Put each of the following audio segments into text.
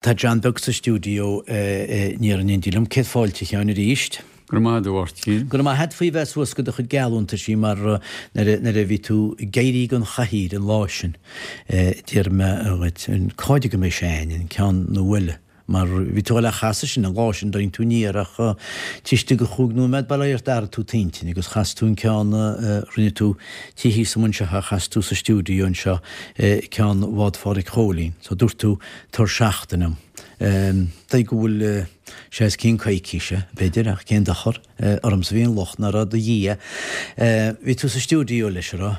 Tá John Beag sa stiúideo aniar in éindí liom. Céad fáilte, a Sheáin, arís. Go raibh maith agat, a Mháirtín. Go raibh maith agat faoi bheith suas go do chuid geallúntaisí mar nuair a bhí tú ag éirí den chathaoir an lá sin d'iarr mé dhuit cáide go mbeidh sé a'ainn, an ceann nua eile. Mar bhí tú a dhul a chasadh sin an lá sin d'fhan tú aniar ach taobh istigh de chúig nóiméad bail ó Dhia ort d'athraigh tú t'intinn agus chas tú an ceann a rinne tú taobh thíos agam anseo a chas tú sa stiúideo anseo ceann Bhád Phádraic Chóilín. So dúirt tú Tabhair seachtain dom. Dóigh go bhfuil sé os cionn coicíse, b'fhéidir, ach cén dochar? Ormsa a bhí an locht ná raibh do Dhia. Bhí tú sa stiúideo leis, an raibh?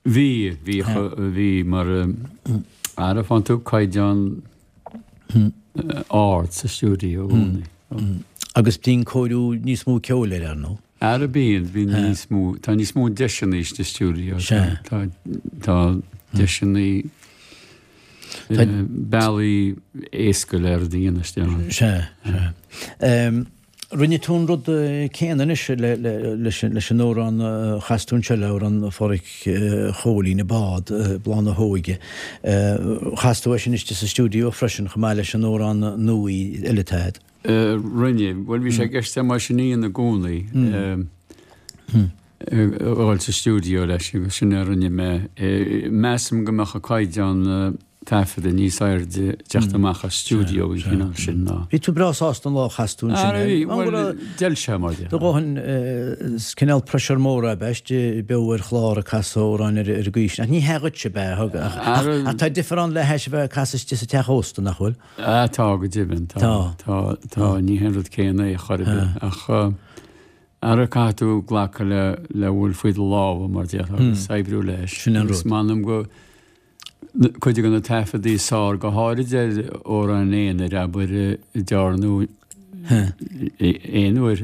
Bhí, bhí, bhí, mar ara faigheann tú caighdeán ard sa stiúideo i gcónaí. Agus bíonn cóiriú níos mó ceoil air, ar ndóigh. Ara bíonn, bíonn níos mó, tá níos mó deiseanna sa stiúideo, tá, tá deiseanna, bealaí éasca le rud a dhéanamh istigh ann. Sea, sea. Rinne tú an rud céanna anois leis an amhrán a chas tú anseo, le amhrán Phádraic Chóilín, An Bád, Bláth na hÓige. Chas tú é sin istigh sa stiúideo freisin, chomh maith leis an amhrán nua eile atá agat. Rinne. Bhuel, bhí sé i gceist agam é sin a dhéanamh i gcónaí, a dhul sa stiúideo leis agus sin a rinne mé. Measaim go mbeadh an caighdeán taifeadta níos airde ag teacht amach as stiúideo den chineál sin ná. Bhí tú breá sásta an lá a chas tú ansin é. Bhí, bhuel, d'fheil sé mar dhea. Do dhóthain, is cineál pressure mór ab ea istigh beo ar chlár ag casadh amhráin ar an gcaoi sin. Ach ní hea dhuitse ab ea, ach tá difear ann le hais a bheith ag casadh istigh sa teach ósta, nach bhfuil? Ah, tá, go deimhin, tá. Tá, tá, ní hé an rud céanna é chor ar bith, ach ara caithfidh tú glacadh le, le bhfuil faoi do lámha, mar déarfá, agus oibriú leis. Sin an rud. Agus m'anam go, cuid de na taifeadaí is fearr, go háirid ar amhráin aonair, abair, a dearnadh aon uair,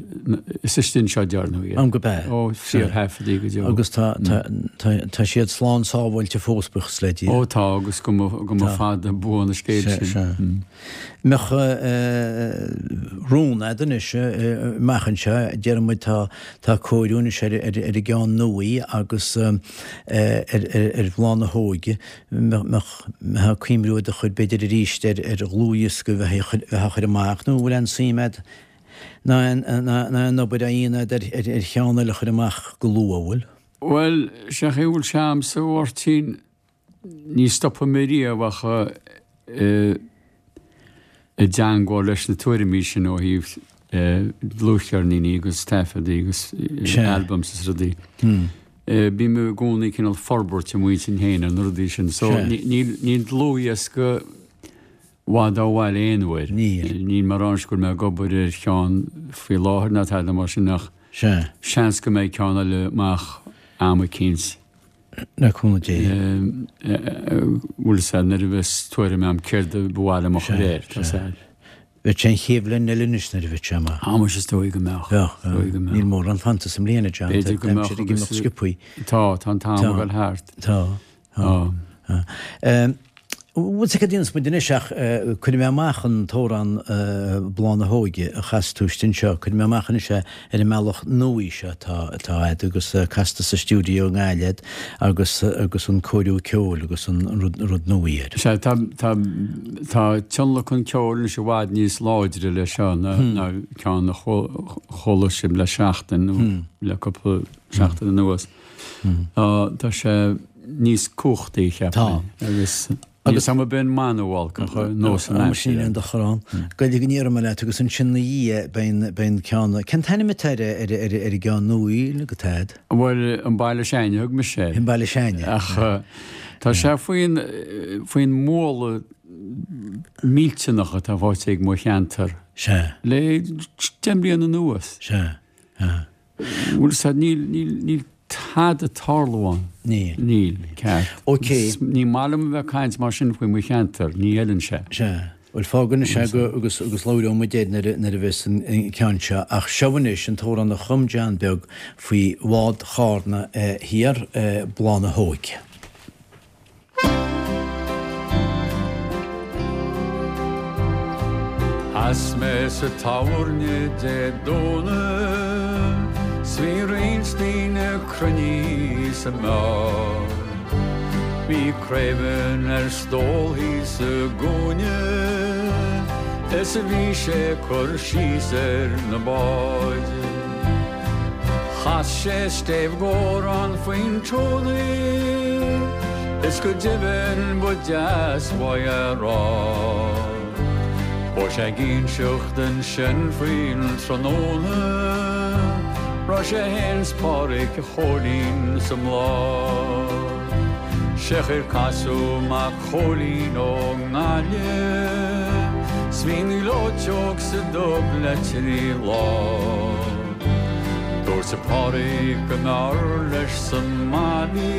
is istigh anseo a dearnadh iad. Am go b'ea. Ó, fíorthaifeadaí go deo. Agus tá, tá, tá, tá siad slán sábháilte fós, buíochas le Dia. Ó tá, agus go mba, go mba fada buan an scéal sin. Sea, sea. Mbeadh rún a'd anois amach anseo, déarfaidh muid tá, tá cóiriú anois ar, ar, ar an gceann nua agus ar, ar, ar Bhláth na hÓige. Mbeadh, mbeadh cuimhniú i do chuid b'fhéidir arís ar, ar dhlúthdhiosca a bheith, bheith á chur amach nó an bhfuil aon suim a'd ná aon, ná aon obair á dhéanamh a'd ar, ar, ar cheann eile a chur amach go luath, an bhfuil? Bhuel, sé an chaoi a bhfuil sé a'msa, a Mháirtín, ní stopfaidh mé riamh ach i dteangmháil leis na tuairimí sin ó thaobh dlúthcheirníní agus taifeadaí agus albums is rudaí. Bím i gcónaí cineál forbairt i m'intinn féin ar na rudaí sin. So níl dlúthdhiosca i bhfad ó bhaile aon uair. Níl mé ag rá anois go bhfuil mé ag obair ar cheann faoi láthair ná tada mar sin ach seans go mbeidh ceann eile amach am eicínt. Le cúnamh Dé. Bhfuil 'fhios a'd nuair a bheas tuairim a'm céard a ba mhaith liom a chur air, tá 'fhios a'd. Bheadh sé an chéad bhliain eile anois nuair a bheadh sé amach. Á muise is dóigh go mbeadh. Bheadh, bheadh. Níl mórán fanta sa mbliain, a John. B'fhéidir go mbeadh. Tá ag imeacht sciobthaí. Tá, tá an t-am ag dul thart. Tá, tá. Tá. Bhuel, cad a dhéanfas muid anois ach cuirfidh mé amach an t-amhrán Bláth na hÓige a chas tú istigh anseo, cuirfidh mé amach anois é ar an mbealach nua seo atá atá a'd agus casta sa stiúideo i nGaillimh agus agus an cóiriú ceoil agus an rud rud nua air. Sea, tá tá tá tionlacan ceoil anois i bhfad níos láidre leis seo ná ná ceann a chuala sibh le seachtain nó le cúpla seachtain anuas. Tá sé níos cumhachtaí, cheapfainn. Tá. Agus agus am ar bith an mana olc ach nós an aimsir. Sin an dochar ann. Gaeilge go ndéarfaidh mé leat agus ansin 'na dhiaidh beidh beidh an ceann, cén t-ainm atá ar ar ar ar an gceann nua atá a'd? Bhuel, an Baile S'Ainne a thug mise air. An Baile S'Ainne. Ach tá sé faoin faoin mbualadh millteanach atá faighte ag mo cheantar. Sea. Le 10 mbliana anuas. Sea. Sea. Bhuel, sea, níl, níl, níl tada ag tarlú ann. Níl. Níl, ceart. Ok. Ní maith liom a bheith ag caint mar sin faoi mo cheantar, ní fheileann sé. Sea. Bhuel, fág anois é go, agus, agus labhróidh muid air nuair a, nuair a bheas an, an ceann seo. Ach seo anois an t-amhrán a chum John Beag faoi bhád Chárna thiar, Bláth na hÓige. Sheas mé sa tábhairne Dé Domhnaigh 's bhí roinnt daoine cruinnithe sa mbeár. Bhí craoibhinn ar stól thíos i gcúinne. Is a bhí sé ag cur síos ar na báid. Chas sé stéibh gcomhrán faoin tónaí is go deimhin ba deas uaidh a rá. Chuaigh sé ag inseacht ansin faoin tráthnóna raibh sé fhéin 's Páraic Chóilín sa mbláth. Sé ar casadh mac Chóilín ón nGaillimh 's bhí an ghleoiteog sa dub le trí lá. Dúirt Páraic go mb'fhearr leis sa mbaile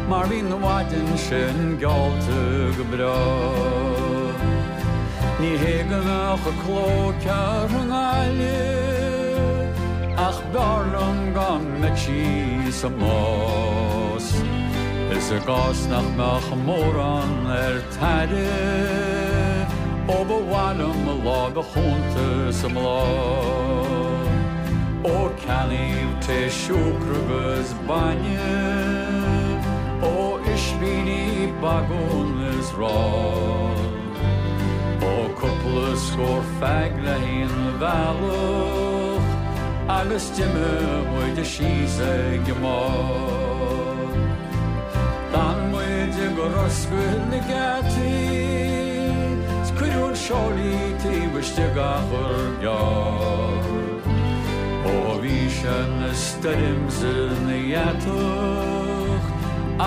mar bhí an mhaidin sin geallta go breá. Ní hé go mbeadh a cló cearr i nGaillimh ach b'fhearr liom go mbeadh sí sa mbás. Is i gcás nach mbeadh mórán ar t'aire, ó ba mhaith liom mo láimh chúnta sa mbláth. Ó ceannaím tae siúcra agus bainne, ó ispíní bagún is arán. Ó cúpla scór feaig le haon bhealach agus d'imigh muid síos ag an mbád. D'fhan muid i gcroscadh na geataí 's cuireadh an seoilí taobh istigh achar gearr. Ó bhí sé 'na stoirm 's ina dheatach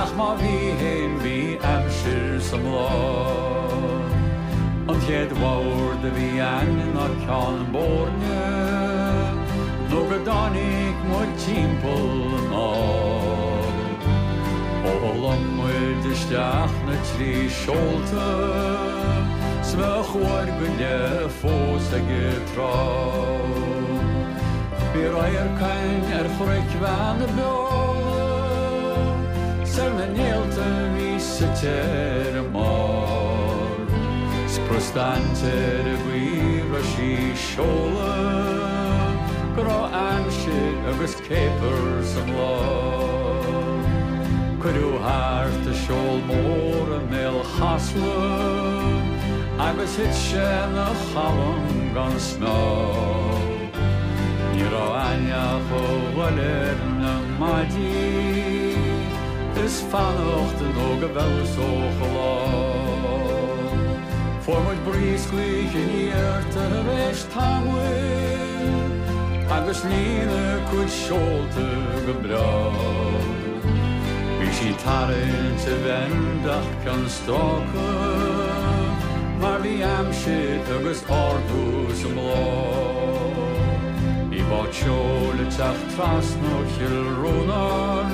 ach má bhí fhéin bhí aimsir sa mbláth. An chéad bhord a bhí a'ainn ná Ceann Boirne nó go dtáinig muid timpeall anall. Ó lom muid isteach na trí seolta 's bheadh uair go leith fós ag an trá. Bhí radharc a'ainn ar chnoic Bheanna Beola 's ar na néalta a bhí suite ar a mbarr. 'S preastaint ar an gcaoi raibh sí seoladh go raibh aimsir agus céapar sa mbláth. Cuireadh thart an seol mór i mbéal Chasla agus thit sé 'na chalm gan smál. Ní raibh a'ainn ach a dhul ar na maidí is fanacht nó go bhfeabhsódh an lá. Fuair muid bris gaoithe aniar tar éis tamaill agus líon a cuid seolta go breá. Bhí sí tarraingt i bhfend ach cionn stráca mar bhí aimsir agus ardú sa mbláth. Bhí bád seoil ag teacht trasna ó Chill Rónáin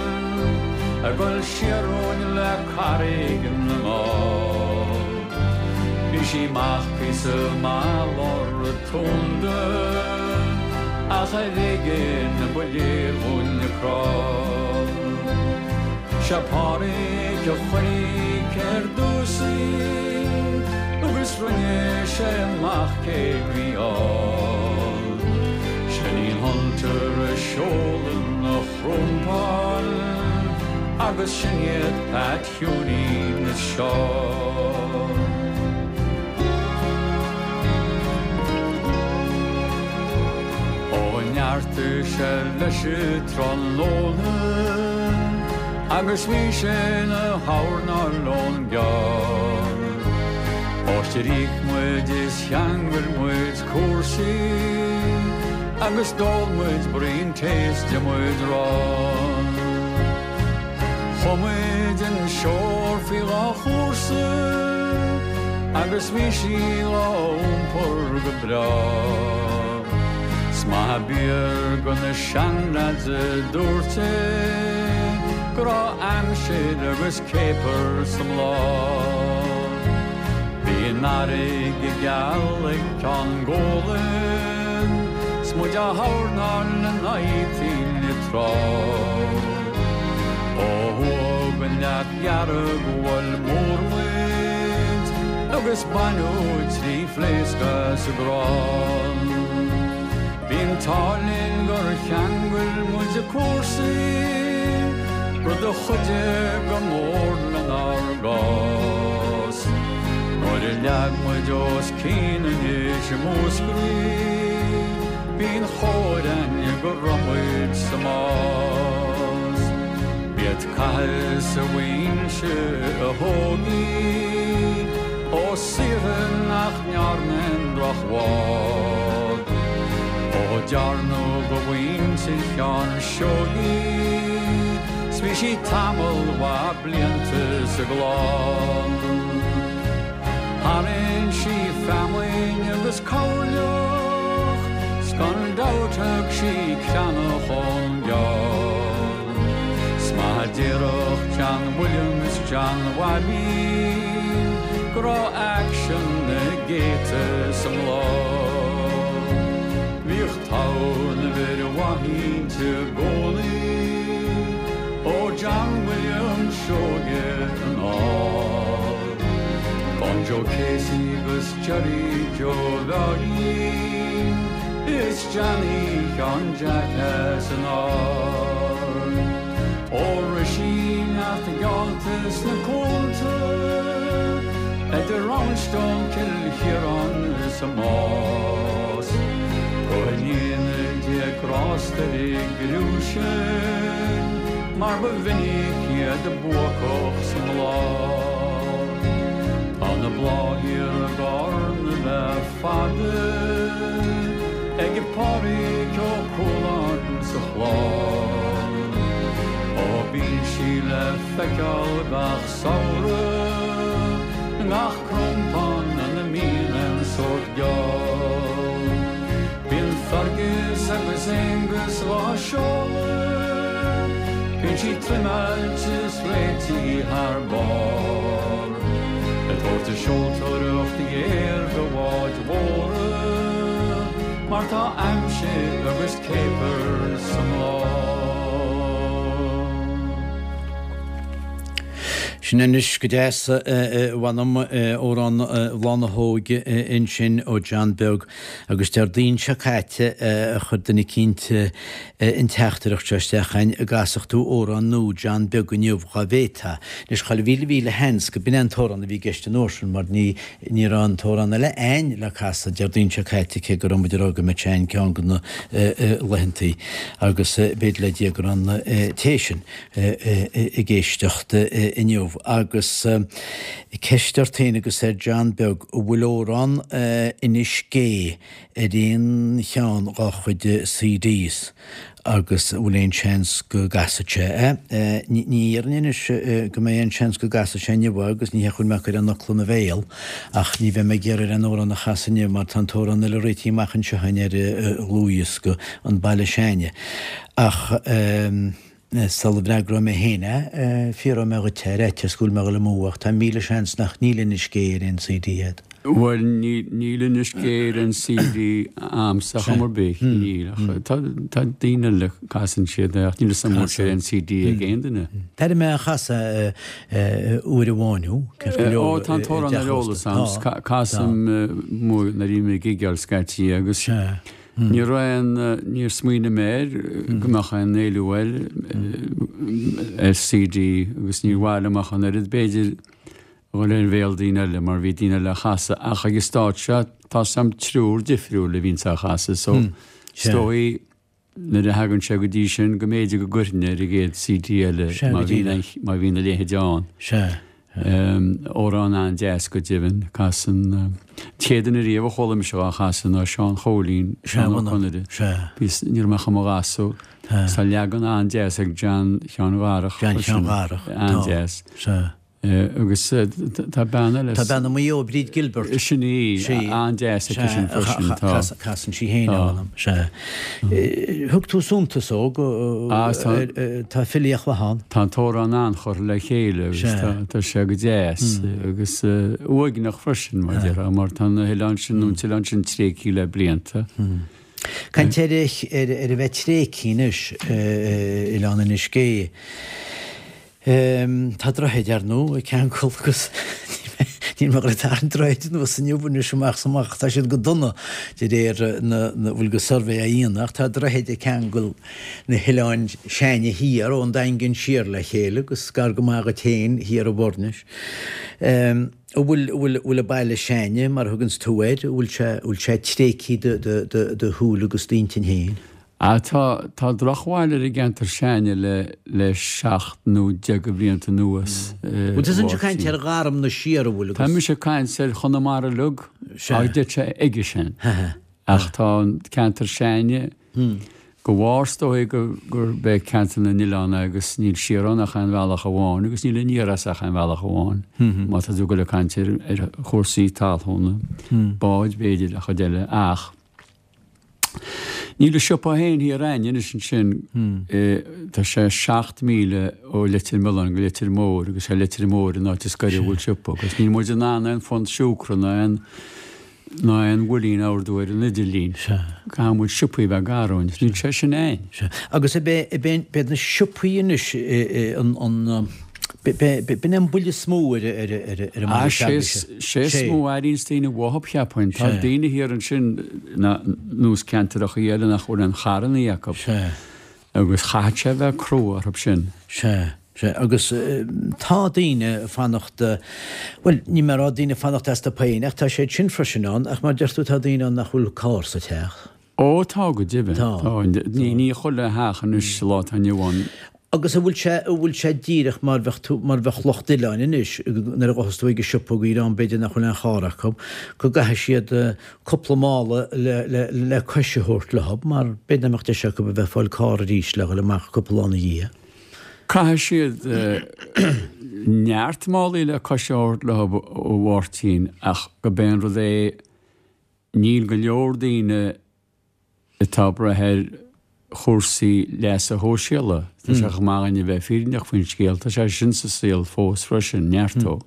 ag dul siar romhainn le Carraig na nGall. Bhí sí amach píosa maith lár an tsunda ach ar éigin ba léir dhúinn a crann. Sé Páraic a chonaic ar dtús í agus rinne sé amach cé bhí ann. Sin í an Hunter a seolann a chrompán agus sin iad Pat Shiúinín is Seán. Ó neartaigh sé leis an tráthnóna agus bhí sé ina dhornáil ón gceann. Ó d'íoc muid is cheangail muid cúrsaí agus d'ól muid braon tae is d'ith muid arán. Chuaigh muid an seol faoi dhá chúrsa agus bhí sí á iompar go breá. 'S maith ab fhíor go na seanleaids a dúirt é go raibh aimsir agus céapar sa mbláth. Bhí an fharraige geal ag Ceann Gólain 's muid á dhornáil in aghaidh toinn an trá. Ó thuaidh den Leac Dhearg bhuail múr muid agus baineadh trí phléasc as an gcrann. Bhí an t-ádh linn gur cheangail muid a cúrsaí, rud a chuidigh go mór lenár gcás. Nuair a. Nuair a leag muid os cionn anois i Múscraí, b'í an chóir a'inn go raibh muid sa mbás. B'iad Cathas a mhuintir a thóg í, ó saortha nach ndearna aon drochbhád. Ó dearnadh go mhuintir Sheáin Seoighe í, 's bhí sí tamall mhaith blianta sa gclann. Tharraing sí feamainn agus coirleach, 's gan dabht thug sí creathnach ón gceann. 'S maith a déarfadh John William is John Bhaibín go raibh aicsean na gcéadta sa mbláth. Bhíodh togha na bhfir mhaith inti i gcónaí, ó John William Seoige anall. Gan Joe Casey agus Jerry Joe Bheáirín is Johnny Sheáin Jeaic as an Aird. Ó rith sí neart geallta sna cuanta idir Roundstone, Cill Chiaráin is an Más. Go ndéana Dia grásta di criú sin mar ba mhinic iad buacach sa mbláth. Tá na blátha thiar i gCarna le fada ag Pádraig Ó Cualáin sa chlann. Ó bíonn sí le feiceáil gach samhradh i ngach crompán ina mbíonn aon sórt geall. Bíonn Fergus agus Aengus dhá seoladh, bíonn sí trimeáilte is réitithe thar barr. Ag tabhairt a seoltóireacht ghéar do bháid mhóra, mar tá aimsir agus céapar sa mbláth. Sin anois go deas, a mh'anam, amhrán Bhláth na hÓige ansin ó John Beag agus Déardaoin seo caite a chuir duine eicínt an teachtaireacht seo isteach chugainn, an gcasfadh tú amhrán nua John Beag inniu dhá bhféadfá. Anois chuile mhíle mhíle sheans go b'in é an t-amhrán a bhí i gceist an uair sin mar ní ní raibh an t-amhrán eile a'ainn le casadh Déardaoin seo caite cé go raibh muid ag rá go mbeadh sé a'ainn ceann de na laethantaí agus b'fhéidir le Dia go raibh an té sin ag éisteacht inniu. Agus ceist ort féin agus ar John Beag, an bhfuil amhrán Inis Gé ar aon cheann dhá chuid CDs agus an bhfuil aon seans go gcasfadh sé é? Ní dhéarfainn anois go mbeidh aon seans go gcasfaidh sé inniu é agus ní hé go bhfuil mé ag cur aon fhocal ina bhéal ach ní bheidh mé ag iarraidh aon amhrán a chasadh inniu mar tá an t-amhrán eile réitithe amach anseo againn ar dhlúthdhiosca An Baile S'A'inne. Ach. Sula bhfreagróidh mé féin é, fiafróidh mé dhuit é, ar fhaitíos go bhfuil mé ag dul amú, ach tá 1000 seans nach níl Inis Gé ar aon CD a'd. Bhuel, níl Inis Gé ar aon CD a'msa chuma ar bith, níl, ach tá daoine eile, casann siad é, ach níl 'fhios a'm an bhfuil sé ar aon CD ag aon duine. D'airigh mé á chasadh uair amháin thú, ceart go leor, Ó, tá an t-amhrán ar eolas a'm, casaim nuair a bhím ag gigeáil scaití agus. Ní raibh aon, níor smaoinigh mé air go mbeadh aon éileamh air ar CD agus níor mhaith liom ach an oiread b'fhéidir a dhul ar bhéal daoine eile mar bhí daoine eile á chasadh ach ag an stát seo tá 's a'm triúr difriúil a bhíonns á chasadh so is dóigh nuair a thagann sé go dtí sin go mb'fhéidir go gcuirfinn ar an gcéad CD eile má bhíonn má bhíonn a leithéid ann. Sea. Amhrán an-deas go deimhin. Casann an chéad duine riamh a chuala mise dhá chasadh ná Seán Chóilín, Seán Ó Conaire. Bhíos, ní raibh mé ach i mo ghasúr. Tá leagan an-deas ag John Sheáin Dharach. John Sheáin Dharach. An-deas. Agus tá bean eile. Tá bean i Maigh Eo, Bríd Gilbert. Sin í, an-deas aici sin freisin. Tá. Casann sí féin é, mh'anam. Sea. Thug tú suntas dó go, tá filíocht mhaith ann. Tá an t-amhrán an-churtha le chéile agus tá sé go deas agus uaigneach freisin, mar a déarfá, mar tá na hoileáin sin, nó an t-oileán sin tréigthe le blianta. Caint ar ar a bheith tréigthe anois, Oileán Inis Gé. Tá droichead, ar ndóigh, ag ceangal agus. Níl mé ag dul ag tarraingt droichid anuas inniu anois amach is amach, tá siad go dona de réir na bhfuil go suirbhé á dhéanamh ach tá droichid ag ceangal na hoileáin s'againne thiar ón Daingean siar le chéile agus gar go maith dhuit féin thiar i bhFoirnis. An bhfuil, bhfuil, bhfuil an baile s'againne, mar a thuganns tú air, an bhfuil sé, bhfuil sé tréigthe do, do, do, do shúil agus d'intinn féin? Ah, tá, tá drochbhail ar an gceantar s'againne le, le seacht nó deich de bhlianta anuas, a Bhfuil tusa ag caint ar Gharmna siar, an bhfuil, agus. Tá mise ag caint ar Chonamara uilig, ach d'fhéadfadh sé aige sin. Ach tá an ceantar s'againne, de bharr is dóigh gurb é ceantar na n-oileán é agus níl siar ann ach aon bhealach amháin agus níl aniar as ach aon bhealach amháin, má tá tú ag dul ag caint ar chúrsaí talúna, báid b'fhéidir, a chuid eile, ach. Níl an siopa féin thiar a'ainn anois ansin, tá sé 7 míle ó Leitir Mealláin go Leitir Móir agus sé Leitir Móir an áit is gaire a bhfuil siopa agus níl muid in ann aon phunt siúcra ná aon ná aon bhuilín a ordú ar an idirlíon. Caithfidh muid siopaí a bheith gar dhúinn. Níl sé sin a'ainn. Agus ab é, ab é, b'iad na siopaí anois an, an, B'in é an buille is mó ar an mbaile s'agaibhse. Sé is mó a airíonns daoine uathub, cheapfainn. Tá daoine thiar ansin nós ceantarachaí eile nach bhfuil aon charrannaí acu. Agus chaithfeadh sé a bheith crua orthu sin. Sea, sea. Agus tá daoine ag fanacht, bhuel, níl mé ag rá daoine ag fanacht astu féin ach tá siad sin freisin ann ach mar deir tú tá daoine ann nach bhfuil carr sa teach. Ó, tá go deimhin. Tá. Ní chuile theach anois sa lá atá inniu ann. Agus an bhfuil sé, an bhfuil sé díreach mar bheadh tú, mar bheadh lucht oileáin anois, nuair a ghabhfas tú ag an siopa go dtí b'fhéidir nach bhfuil aon charr acu, go gcaithfidh siad cúpla mála le, le, le cois a thabhairt leo, mar b'fhéidir nach mbeadh deis acu a bheith ag fáil carr arís le dhul amach cúpla lá ina dhiaidh. Caithfidh siad neart málaí le cois a thabhairt leo, a Mháirtín, ach go b'é an rud é, Níl go leor daoine atá ag brath ar chúrsaí leasa shóisialaigh. Tá sé chomh maith againn a bheith fírinneach faoin scéal, tá sé sin sa saol fós freisin, neart dó.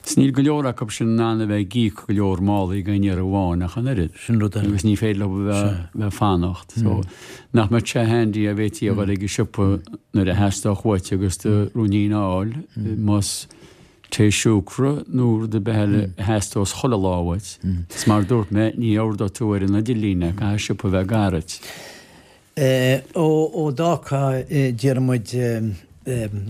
Is níl go leor acu sin in ann a bheith ag íoc go leor málaí d'aon iarraidh amháin ach an oiread. Sin rud eile. Agus ní féidir leo a bheith ag fanacht. So, nach mbeadh sé handy dá bhféadfaí a dhul ag an siopa nuair a theastódh uait agus do ruainnín a fháil, más tae siúcra nó rud ar bith eile a theastós chuile lá uait. Is mar a dúirt mé, ní ordóidh tú ar an idirlíon é, caithfidh siopa a bheith gar duit. Ó, ó d'fhágfá, déarfaidh muid,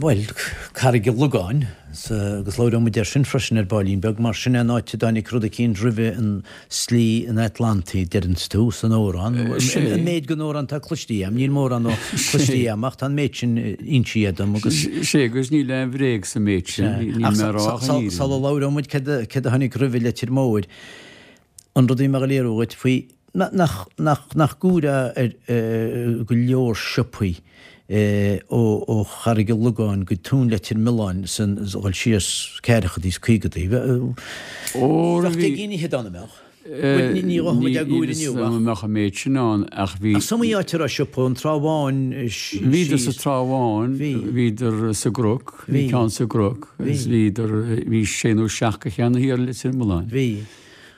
bhuel, Carraig an Logáin, agus labhróidh muid air sin freisin ar baillín beag, mar sin é an áit a dtáinig rud eicínt roimhe an slí an Atlantaigh, deireanns tú, san amhrán. An méid den amhrán atá cloistí agam, níl mórán dó cloistí agam ach tá an méid sin insithe dom agus. Sé agus níl aon bhréag sa méid sin, níl mé ag rá ach an fhírinne. Sula labhróidh muid céard a tháinig roimhe Leitir Móir, an rud a bhí mé ag léiriú dhuit faoi nach, nach, nach gcomhaireá ar go leor siopaí ó Charraig an Logáin go Tóin Leitir Mealláin san dhul síos ceathrachaidí is caogaidí. Bheadh deich gcinn fhichead ann, an mbeadh? Bhuel, ní ghabhfaidh muid ag uair inniu ach. Ní mbeadh an méid sin ann ach bhí. Ach is iomaí áit a raibh siopa, an Trá Bháin síos. Bhíodar sa Trá Bháin, bhíodar sa gCnoc, bhí ceann sa gCnoc, agus bhíodar, bhí sé nó seacht de cheann thiar i Leitir Mealláin. Bhí.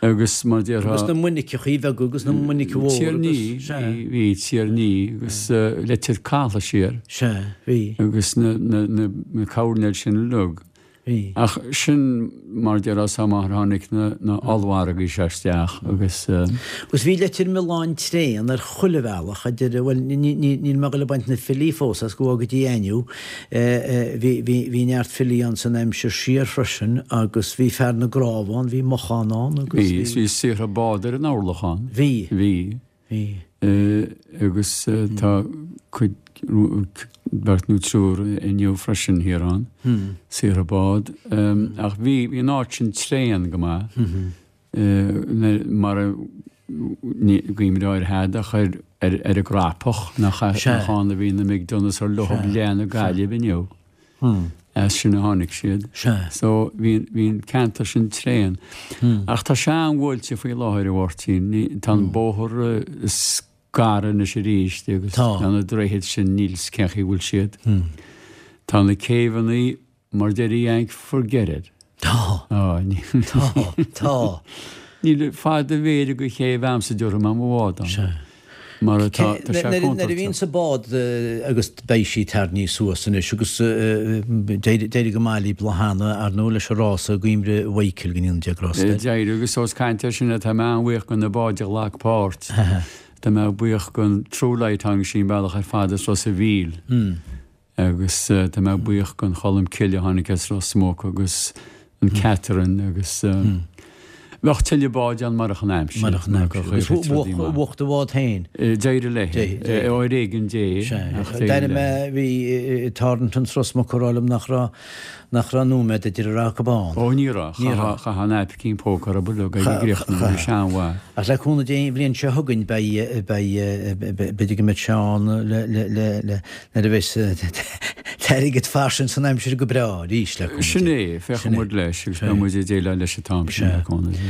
Agus mar déarfá. Agus na muiniceachaí bheaga agus na muinice mhór agus. Tír Ní, bhí, bhí Tír Ní agus Leitir Cathála siar. Sea, bhí. Agus na, na, na, na coirnéil sin uilig. Bhí. Ach sin mar déarfá is amach ar tháinig na, na ollmhargaí seo isteach agus. Agus bhí Leitir Mealláin tréan ar chuile bhealach, idir, bhuel, ní, ní, níl mé ag dul ag baint na filí fós as go bhfága Dia inniu, Bhí neart filí ann san aimsir siar freisin agus bhí fear na gcnámh ann, bhí Mochán ann agus bhí. Bhí, bhí saortha bád ar an orlach ann. Bhí. Bhí. Bhí. Agus tá cuid, beirt nó triúr inniu freisin thiar ann, saortha bád. Ach bhí, bhí an áit sin tréan go maith. Mar a guím áirithe ach ar an gCrapach, nach ann a bhí na McDonaghs ar leothab leath na Gaillimhe inniu. As sin a tháinig siad. So bhí an ceantar sin tréan. Ach tá sé an-bhuailte faoi láthair, a Mháirtín. Tá an bóthar scartha anois arís agus tá na droichid sin níl 's cén chaoi a bhfuil siad. Tá na céibheanna Mar deir a Yank, forget it. Tá. Tá. Tá. Níl fad a mhéire go chéibh a'msa déarfaidh mé mo bhád ann. Sea. Mar atá, tá sé contúirteach. Nuair a bhíonn sa bád agus beidh sí tarraingthe suas anois agus d'éirigh go maith libh lá cheana, ar ndóigh, leis an rása i gCuimhne Mhichael den 11 rás. D'éirigh agus ós caint air sin tá mé an-bhuíoch do na báid a ghlac páirt. Tá mé buíoch don True Light tháinig sí an bealach ar fad as Ros a' Mhíl. Agus tá mé buíoch don Cholm Cille a tháinig as Ros Muc agus an Catherine agus bheadh tuilleadh báid ann marach an aimsir. Marach an aimsir. Agus bhuaigh do bhád féin. D'éirigh léi. Ar éigean Dé ach d'éirigh léi. D'airigh mé, bhí Thornton as Ros Muc ag rá liom nach raibh, nach raibh nóiméad idir a raibh acu ann. Ó ní raibh. Ní raibh. Chaithfeá an naipicín póca a rub uilig a gcríochnú, bhí sé an-mhaith. Ach le cúnamh Dé an bhliain seo chugainn beidh, beidh, b'fhéidir go mbeidh sé ann le, le, le, le, Nuair a bheas an t-airgead fairsing san aimsir go breá arís le cúnamh Dé. Sin é, féachfaidh muid leis agus beidh muid ag déileáil leis an t-am sin le cúnamh Dé.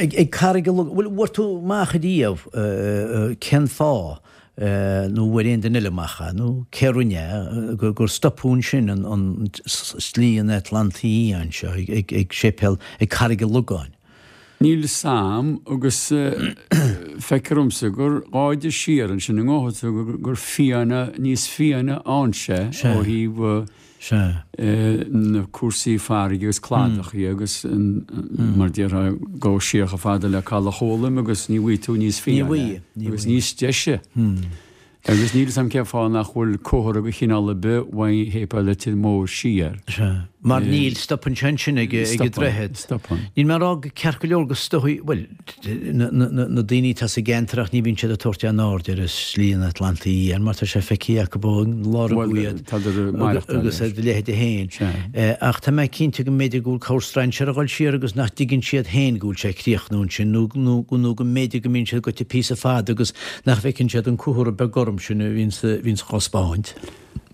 Ag Carraig an Logáin, bhfuil, bhfuair tú amach ariamh cén fáth nó bhfuair aon duine eile amach é nó cé rinne é gur stopadh ansin an Slí an Atlantaigh Fhiáin seo ag séipéal ag Carraig an Logáin? Níl 'fhios a'm agus feictear dhomsa gur gá siar ansin i ngabhfaidh tú gur fiáine, níos fiáine ann sé ó thaobh na cúrsaí farraige agus cladachaí agus mar déarfá gabh siar chomh fada le Caladh Chualann agus ní bhfaighidh tú níos fiáine agus níos deise. Agus níl 'fhios a'm cén fáth nach bhfuil comhartha de chineál ar bith uaidh Shéipéal Leitir Móir siar. Sea. Mar níl, stopann sé ansin ag an droichead. Stopann. Níl mé ag rá go ceart go leor go stopfaidh, bhuel, na daoine atá sa gceantar ach ní bhíonn siad ag tabhairt aon aird ar Shlí an Atlantaigh Fhiáin mar tá sé feicthe acu ó lár an Bhuel, tádar ag maireachtáil agus ar do leithide féin. Sea. Ach tá mé cinnte go mb'fhéidir go bhfuil cabhair strainséara ag dul siar agus nach dtuigeann siad féin go bhfuil sé ag críochnú ansin nó nó go mb'fhéidir go mbíonn siad goite píosa fada agus Nach bhfeiceann siad an comhartha beag gorm sin a bhíonns á thaispeáint?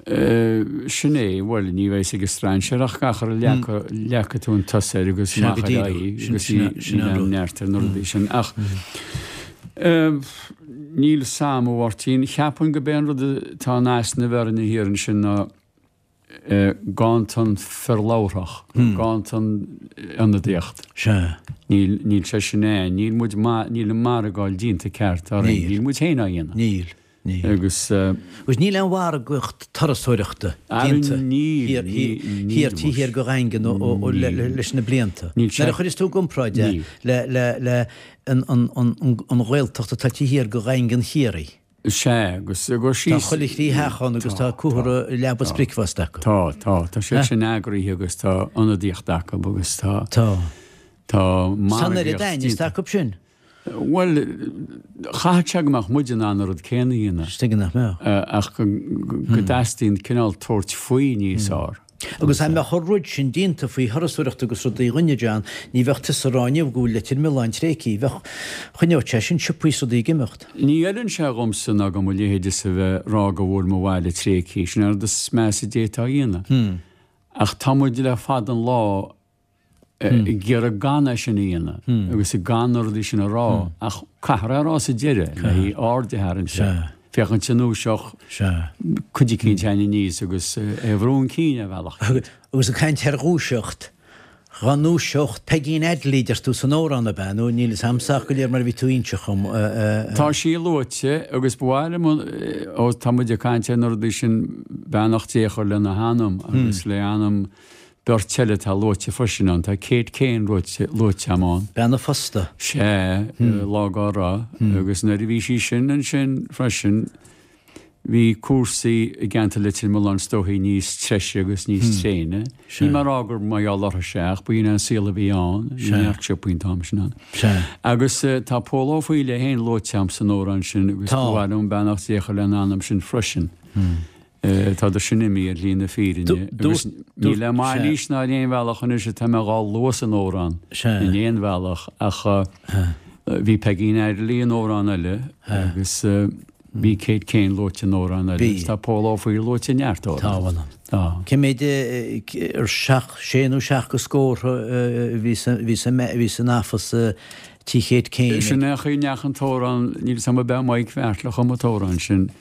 Sin é, bhuel, ní bheidh 'fhios ag an strainséir ach gach ar a leagfaidh tú an t-os air agus amach ar aghaidh agus níl aon neart ar na rudaí sin. Ach níl 'fhios a'm, a Mháirtín, cheapfainn go b'é an rud atá in easnamh orainne thiar ansin ná, gan an fear labharthach, gan an ionadaíocht. Sea. Níl, níl sé sin ann. Níl muid ma, níl an margáil déanta ceart orainn. Níl. Níl muid féin á dhéanamh. Níl, níl. Agus. Agus níl aon mhargaíocht turasóireachta déanta Níl, níl, níl thiar taobh thiar de Dhaingean ó, ó, ó, le, leis na blianta. Níl sé. Nuair a chuireas tú i gcomparáid é le, le, le an, an, an, an Ghaeltacht atá taobh thiar de Dhaingean Chiarraí. Sea, agus go Tá síos. chuile thrí theach ann agus tá comhartha leaba is bricfeasta acu. Tá, tá, tá siad sin eagraithe agus tá ionadaíocht acu agus tá. Tá. Tá Tá an oiread margaíocht aithne déanta. acu sin. Bhuel, chaithfeadh sé go mbeadh muid in ann an rud céanna a dhéanamh. Is tuige nach mbeadh. Ach go dteastaíonn cineál tabhairt faoi níos fearr. Agus dá mbeadh an rud sin déanta faoi thurasóireacht agus rudaí a dhuine, John, ní bheadh tusa ag rá inniu go bhfuil Leitir Mealláin tréigthe, bheadh, choinneodh sé sin siopaí is rudaí ag imeacht. Ní fheileann sé dhomsa ná do mo leithéidese a bheith ag rá go bhfuil mo bhaile tréigthe, sin an rud is measa a d'fhéadfá a dhéanamh. Ach tá muid le fada an lá ag iarraidh gan é sin a dhéanamh agus gan na rudaí sin a rá ach caithfear é a rá sa deireadh le haghaidh aird a tharraingt air, féachaint an ndúiseodh cuid eicínt againn aníos agus é a bhrú chun cinn ar bhealach. Agus ag caint ar dhúiseacht, dhá ndúiseodh Peigín Adley deir tú san amhrán ab ea nó níl fhios a'msa ach go léir mar a bhí tú inseacht dhom. Tá sí luaite agus ba mhaith liom, ó tá muid ag caint ar na rudaí sin, beannacht Dé a chur lena hanam agus le anam Beirt eile atá luaite freisin ann. Tá Kate Kane luaite agam ann. Bean a phósta. Sea, lá dá raibh. Agus nuair a bhí sí sin ansin freisin, bhí cúrsaí i gceantar Leitir Mealláin is dóichí níos treise agus níos tréine. Níl mé ag rá gur mar gheall orthu ach b'in é an saol a bhí ann. Bhí neart siopaí an t-am sin ann. Agus tá Pól Ó Foighil é féin luaite agam san amhrán sin agus ba mhaith liom beannacht Dé a chur lena anam sin freisin. Tádar sin imithe ar shlí na fírinne agus ní le mailís ná ar aon bhealach anois atá mé dhá lua san amhrán in aon bhealach ach bhí Peigín Adderley in amhrán eile agus bhí Kate Kane luaite in amhrán eile agus tá Pól Ó Foighil luaite i neart amhrán. Tá. Cé mhéad ar seacht, sé nó seacht de scórtha a bhí san AFAS tí Kate Kane? Sin é an chaoi a ndeachaigh an t-amhrán, níl 'fhios a'm ab é Mike Bheairtle a chum an t-amhrán sin.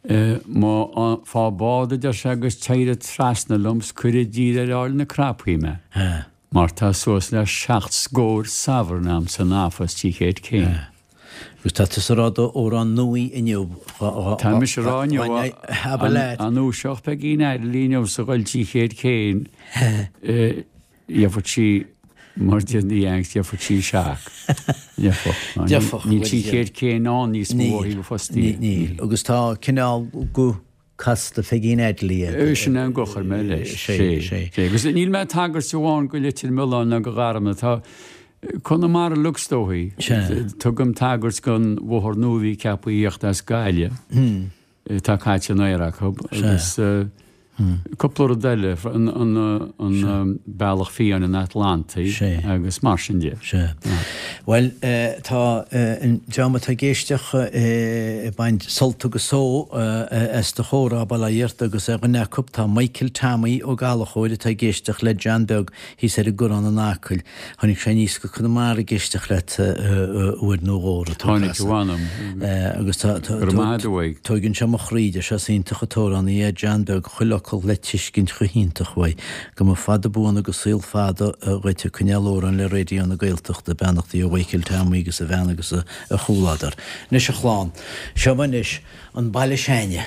Má fá bád a deir sé agus téir trasna liom 's cuir i dtír ar Aill na Crapaí mé mar tá suas le seacht scór sovereign a'm san AFAS tí Kate Kane. Agus tá tusa ag rá d'amhrán nua inniu. Tá mise ag rá inniu dá ndúiseodh Peigín Adderley inniu is a dhul 300 céim gheobhadh sí mar deir na Yanks gheobhadh sí shock. Gheobhadh. Níl 300 céim ann níos mó ó thaobh fostaí. Níl. Agus tá cineál guth casta Pheigín Adderley air. Sin é an guth a chuir mé leis. Sé, sé. Agus níl mé ag tagairt amháin go Leitir Mealláin ná go Garmna. Tá Conamara uilig is dóichí. Tugaim tagairt don bhóthar nua a bhí ceaptha a thíocht as Gaillimh. Tá caite in aer acu. Agus cúpla rud eile, an bealach fiáin an Atlantaigh agus mar sin de. Sea. Bhuel, tá an dream atá ag éisteacht ag baint sult agus só as do chomhrá, bail ó Dhia ort, agus ar dhuine acu tá Michael Tommy Ó Gallchóir atá ag éisteacht le John Beag thíos ar an gCurrán in Acaill. Tháinig sé aníos go Conamara ag éisteacht leat uair nó dhó a tú Tháinig, a mh'anam. Agus tá, tá, Go raibh maith agat uaidh. Tóigeann sé mo chroí, deir sé, is iontach an t-amhránaí é John Beag, chuile fhocal le tuiscint chomh hiontach uaidh. Go mba fada buan agus saol fada dhuit ag coinneáil amhrán le Raidió na Gaeltachta. Beannachtaí ó Mhichael Tommy agus a bhean agus a chomhluadar. Anois a chlann, seo anois an Baile S'Ainne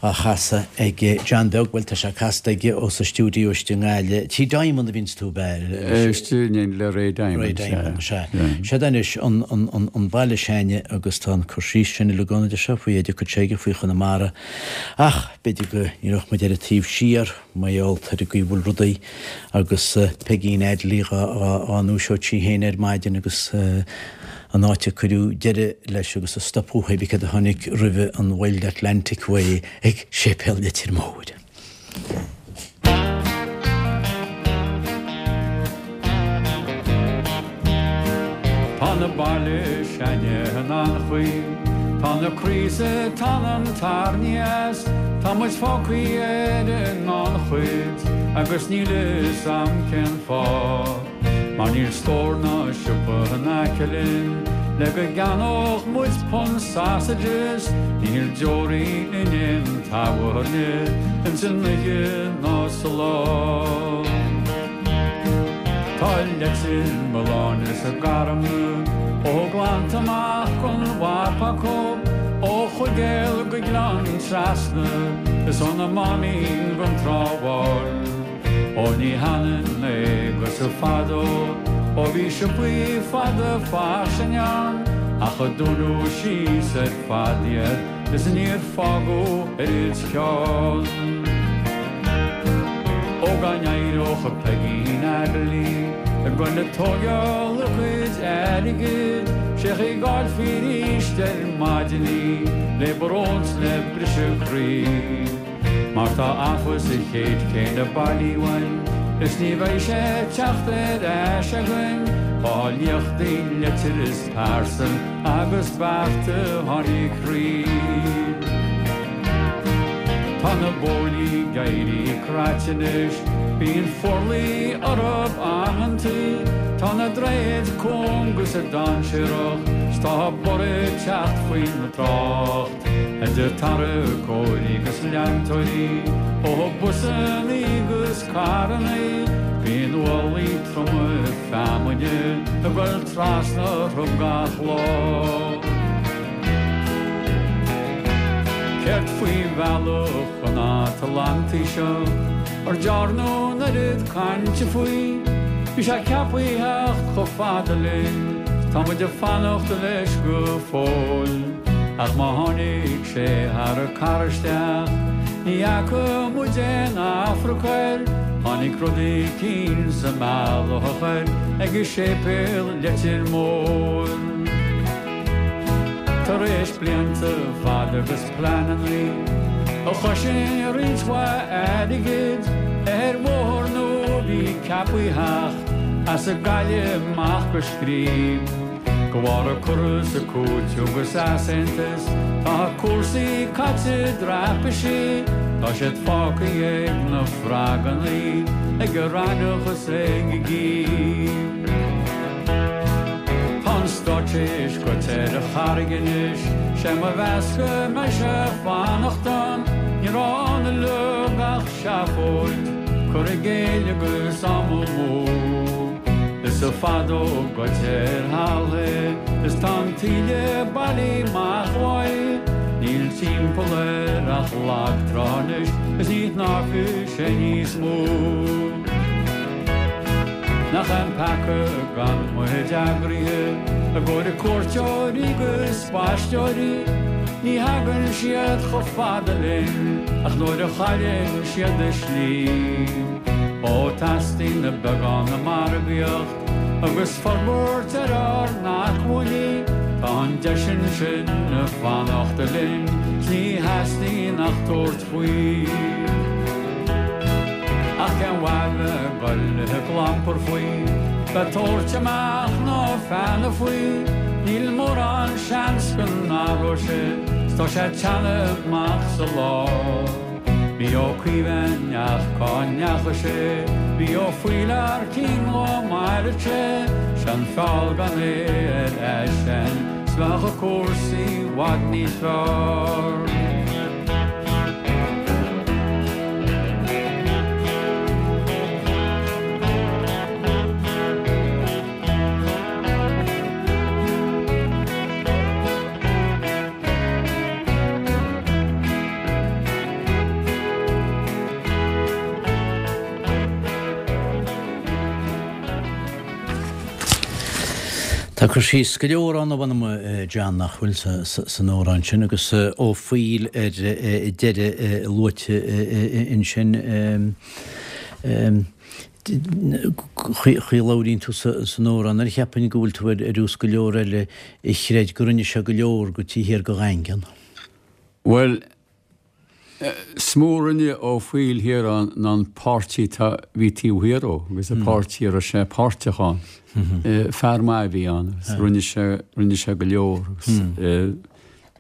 á chasadh ag John Beag, bhuel tá sé casta aige ó sa stiúideo istigh i nGaillimh. Tí Diamond a bhíonns tú, ab ea? Istigh in le Ray Diamond, Ray Diamond, sea. Seod anois an Baile S'Ainne agus tá an cur síos sin uilig ann, a deir sé, faoi oideachas s'aige, faoi Chonamara. Ach b'fhéidir go n-éireodh muid ar an taobh siar mar gheall ar an gcaoi a bhfuil rudaí agus Peigín Adderley dhá ndúiseodh sí féin ar maidin agus an áit a cuireadh deireadh leis agus a stopadh pé bith céard a tháinig roimhe an Wild Atlantic Way ag Séipéal Leitir Móir. Tá na baile s'ainne in an-chaoi, tá na craosa tá an tairní as, tá muid fágthaí ar an ngannchuid agus níl a fhios a'm cén fáth. Mar níl stór ná siopa in aice linn le go gceannódh muid punt sausages, níl deoraí in aon tábhairne ins an oíche ná sa lá. Tá Leitir Mealláin is a Garmna ó Ghleannta amach gon mharp acu, ó Chuigéal go Gleann Trasna is ó na Máimín gon Trá Bháin. Ó ní hionann é agus fadó ó bhí siopaí fada fairsing ann ach a dúnadh síos ar fad iad is níor fágadh oiread ceann. Ó dá n-éireodh Peigín Adderley ag goil ag tóigeáil a cuid airgid sé chaoi go bhfáilfí arís ar maidin í le brón 's le briseadh croí. Mar tá athbhus sa chéad chéim le bailiú uainn Is ní bheidh sé ag teacht ar ais againn Tá liachtaí leitir is pearsail agus bearta tháinig thríd Tá na bóithrí ag éirí craite anois Bíonn forluí orthub amantaí Tá na droichid cúng is dainséarach 'S tá borradh ag teacht faoin trácht. Idir tarracóirí 'gus leantóirí, ó busannaí 'gus carrannaí, bíonn ualaí troma feamainne ag goil trasna orthu gach lá. Céard faoi bhealach an Atlantaigh seo, ar dearnadh an oiread cainte faoi? Bhí sé ceaptha a theacht chomh fada linn, tá muid ag fanacht leis go fóill. Ach má tháinig sé thar an carr isteach, ní fhaca muid aon Afrac air, tháinig rud eicínt sa mbealach air ag séipéal Leitir Móir. Tar éis blianta fada agus pleanannaí a chosain roinnt mhaith airgid ar bhóthar nua a bhí ceaptha a theacht as an Gaillimh amach go Scríb. De bharr an cur is an cúiteamh agus easaontas tá cúrsaí caite i dtraipisí, tá siad fágtha ag na frogannaí, ag an raithneach is ag an gcíb. Tá an stát théis goit ar an charraig anois, sé mo mheas go mbeidh sé ag fanacht ann, ní raibh ann uilig ach seafóid, cur i gcéill agus am amú. Is. píosa fadó goidte ar thalamh é is tá an taoille bailithe amach uaidh. Níl timpeall air ach lag trá anois is ní shnámhfaidh sé níos mó. Nach é an peaca gan muid eagraithe i gcomhair cuairteoirí 'gus spaisteoirí, ní thagann siad chomh fada linn ach nuair a chailleann siad a slí. Ó teastaíonn beagán de mhargaíocht agus forbairt ar ár n-acmhainní, tá an deis ansin ag fanacht linn 's ní theastaíonn ach tabhairt faoi. Ach cén mhaith bheith ag goil ag clampar faoi, bheith ag tabhairt amach na feadhna faoi, níl mórán seans go n-athróidh sé 's tá sé ag teannadh amach sa lá. Bhí Ó Caoimh a'inn ach cá ndeachaigh sé? Bhí Ó Foighil thar cionn chomh maith le sé, 'Sé an feall gan é ar ais a'inn 's bheadh cúrsaí i bhfad níos fearr. Tá cur síos go leor ann, a mh'anam, John, nach bhfuil san amhrán sin, agus Ó Foighil ar deireadh luaite ansin. Chaoi a labhraíonn tú san amhrán air, cheapfainn go bhfuil tú ar nós go leor eile a chreid go rinne sé go leor go taobh thiar go Dhaingean. Bhuel, is mó a rinne Ó Foighil thiar ann ná an páirtí atá, bhí taobh thiar dhó agus an páirtí a raibh sé páirteach ann. Fear maith a bhí ann agus rinne sé, rinne sé go leor agus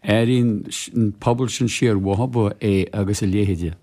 airíonn an pobal sin siar uathu é agus a leithéide.